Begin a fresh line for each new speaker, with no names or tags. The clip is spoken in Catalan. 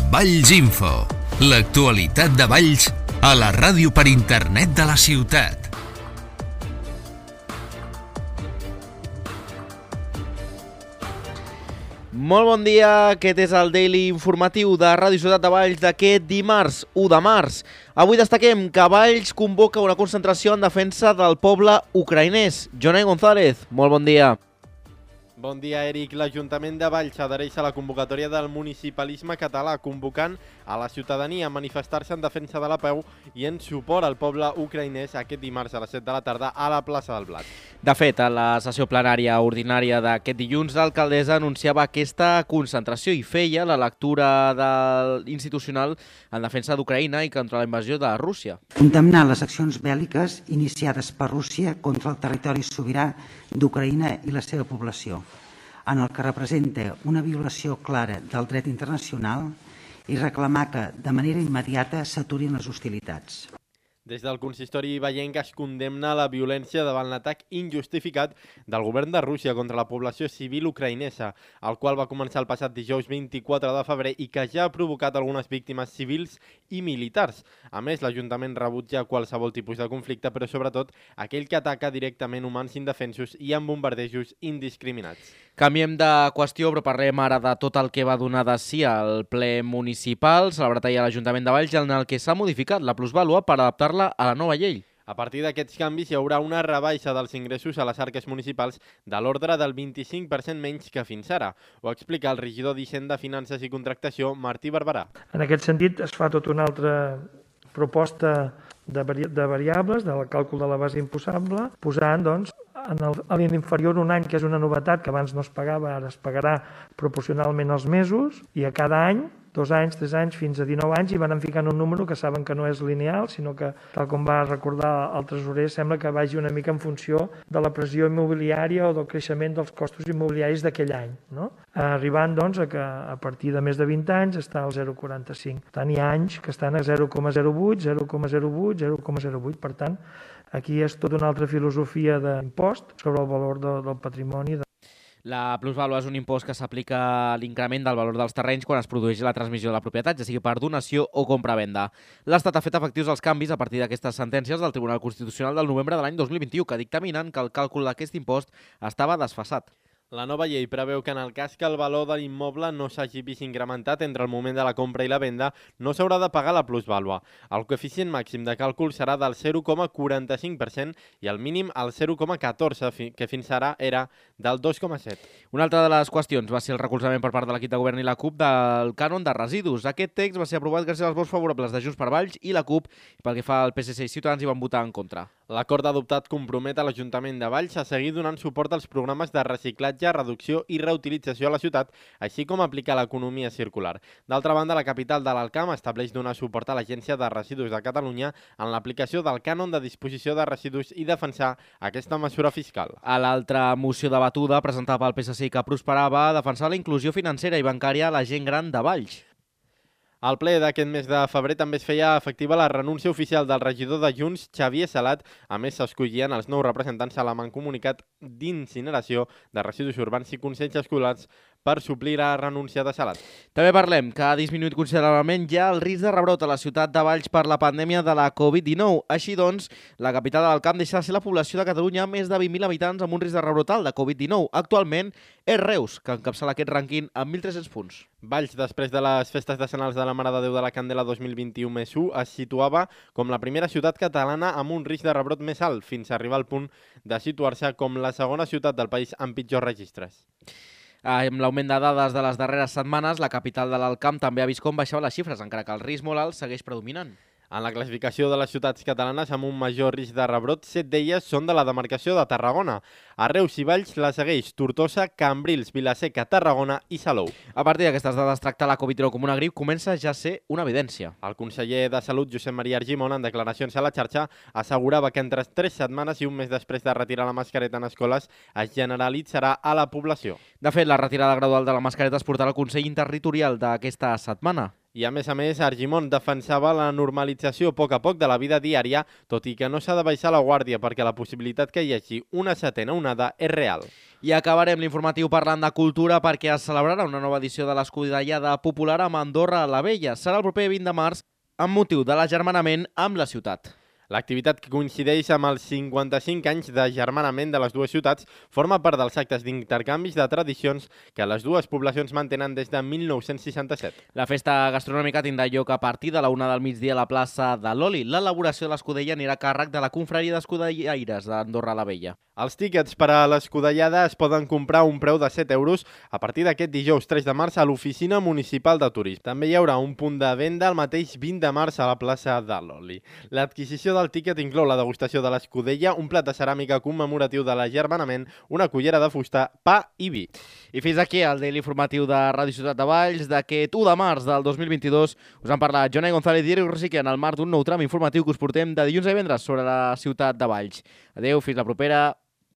Valls Info, l'actualitat de Valls a la ràdio per internet de la ciutat.
Molt bon dia, aquest és el Daily Informatiu de Ràdio Ciutat de Valls d'aquest dimarts, 1 de març. Avui destaquem que Valls convoca una concentració en defensa del poble ucraïnès. Jonai González, molt bon dia.
Bon dia, Eric. L'Ajuntament de Valls adhereix a la convocatòria del municipalisme català, convocant a la ciutadania a manifestar-se en defensa de la pau i en suport al poble ucraïnès aquest dimarts a les 7 de la tarda a la plaça del Blat.
De fet, a la sessió plenària ordinària d'aquest dilluns, l'alcaldessa anunciava aquesta concentració i feia la lectura institucional en defensa d'Ucraïna i contra la invasió de Rússia.
Condemnar les accions bèl·liques iniciades per Rússia contra el territori sobirà d'Ucraïna i la seva població, en el que representa una violació clara del dret internacional i reclamar que, de manera immediata, s'aturin les hostilitats.
Des del consistori veient que es condemna la violència davant l'atac injustificat del govern de Rússia contra la població civil ucraïnesa, el qual va començar el passat dijous 24 de febrer i que ja ha provocat algunes víctimes civils i militars. A més, l'Ajuntament rebutja qualsevol tipus de conflicte, però sobretot aquell que ataca directament humans indefensos i amb bombardejos indiscriminats.
Canviem de qüestió, però parlem ara de tot el que va donar de si al ple municipal, celebrat ahir a l'Ajuntament de Valls, en el que s'ha modificat la plusvàlua per adaptar-la a la nova llei.
A partir d'aquests canvis hi haurà una rebaixa dels ingressos a les arques municipals de l'ordre del 25% menys que fins ara. Ho explica el regidor d'Hisenda, Finances i Contractació, Martí Barberà.
En aquest sentit es fa tota una altra proposta de variables, del càlcul de la base imposable, posant doncs, a l'inferior un any, que és una novetat que abans no es pagava, ara es pagarà proporcionalment als mesos, i a cada any, 2 anys, 3 anys, fins a 19 anys, i van ficant un número que saben que no és lineal, sinó que, tal com va recordar el tresorer, sembla que vagi una mica en funció de la pressió immobiliària o del creixement dels costos immobiliaris d'aquell any, no? Arribant doncs, a que a partir de més de 20 anys està al 0,45. Per tant, hi ha anys que estan a 0,08, 0,08, 0,08. Per tant, aquí és tota una altra filosofia d'impost sobre el valor del patrimoni.
La plusvàlua és un impost que s'aplica a l'increment del valor dels terrenys quan es produeix la transmissió de la propietat, ja sigui per donació o compra-venda. L'Estat ha fet efectius els canvis a partir d'aquestes sentències del Tribunal Constitucional del novembre de l'any 2021, que dictaminen que el càlcul d'aquest impost estava desfasat.
La nova llei preveu que en el cas que el valor de l'immoble no s'hagi vist incrementat entre el moment de la compra i la venda, no s'haurà de pagar la plusvàlua. El coeficient màxim de càlcul serà del 0,45% i el mínim el 0,14%, que fins ara era del 2,7%.
Una altra de les qüestions va ser el recolzament per part de l'equip de govern i la CUP del cànon de residus. Aquest text va ser aprovat gràcies als vots favorables de Junts per Valls i la CUP, i pel que fa al PSC i Ciutadans hi van votar en contra.
L'acord adoptat compromet a l'Ajuntament de Valls a seguir donant suport als programes de reciclatge, reducció i reutilització a la ciutat, així com aplicar l'economia circular. D'altra banda, la capital de l'Alcamp estableix donar suport a l'Agència de Residus de Catalunya en l'aplicació del cànon de disposició de residus i defensar aquesta mesura fiscal.
A l'altra moció debatuda, presentada pel PSC i que prosperava, defensar la inclusió financera i bancària a la gent gran de Valls.
Al ple d'aquest mes de febrer també es feia efectiva la renúncia oficial del regidor de Junts, Xavier Salat. A més, s'escollien els nous representants a la Mancomunitat d'Incineració de Residus Urbans i Consells Escolars per suplir la renúncia de Salat.
També parlem que ha disminuït considerablement ja el risc de rebrot a la ciutat de Valls per la pandèmia de la Covid-19. Així doncs, la capital de l'Alcamp deixa de ser la població de Catalunya amb més de 20.000 habitants amb un risc de rebrot alt de Covid-19. Actualment és Reus, que encapçala aquest rànquing amb 1.300 punts.
Valls, després de les festes decennals de la Mare de Déu de la Candela 2021+1, es situava com la primera ciutat catalana amb un risc de rebrot més alt, fins a arribar al punt de situar-se com la segona ciutat del país amb pitjors registres.
Amb l'augment de dades de les darreres setmanes, la capital de l'Alcamp també ha vist com baixaven les xifres, encara que el risc molt alt segueix predominant.
En la classificació de les ciutats catalanes amb un major risc de rebrot, 7 d'elles són de la demarcació de Tarragona. A Reus i Valls la segueix Tortosa, Cambrils, Vila-seca, Tarragona i Salou.
A partir d'aquestes dades, tractar la Covid-19 com una grip comença ja a ser una evidència.
El conseller de Salut, Josep Maria Argimon, en declaracions a la xarxa, assegurava que entre 3 setmanes i un mes després de retirar la mascareta en escoles es generalitzarà a la població.
De fet, la retirada gradual de la mascareta es portarà al Consell Interterritorial d'aquesta setmana.
I a més, Argimon defensava la normalització a poc de la vida diària, tot i que no s'ha de baixar la guàrdia perquè la possibilitat que hi hagi una setena onada és real.
I acabarem l'informatiu parlant de cultura perquè es celebrarà una nova edició de l'Escudellada Popular amb Andorra la Vella. Serà el proper 20 de març amb motiu de l'agermanament amb la ciutat.
L'activitat, que coincideix amb els 55 anys d'agermanament de les dues ciutats, forma part dels actes d'intercanvis de tradicions que les dues poblacions mantenen des de 1967.
La festa gastronòmica tindrà lloc a partir de la 1 del migdia a la plaça de l'Oli. L'elaboració de l'escudella anirà a càrrec de la confraria d'escudellaires d'Andorra la Vella.
Els tíquets per a l'escudellada es poden comprar a un preu de 7 euros a partir d'aquest dijous 3 de març a l'Oficina Municipal de Turisme. També hi haurà un punt de venda el mateix 20 de març a la plaça de l'Oli. L'adquisició del tíquet inclou la degustació de l'escudella, un plat de ceràmica commemoratiu de l'agermanament, una cullera de fusta, pa i vi.
I fins aquí el Daily Informatiu de Ràdio Ciutat de Valls d'aquest 1 de març del 2022. Us han parlat Jonai González i Eric Rosique en el marc d'un nou tram informatiu que us portem de dilluns a divendres sobre la ciutat de Valls. Adéu, fins la propera.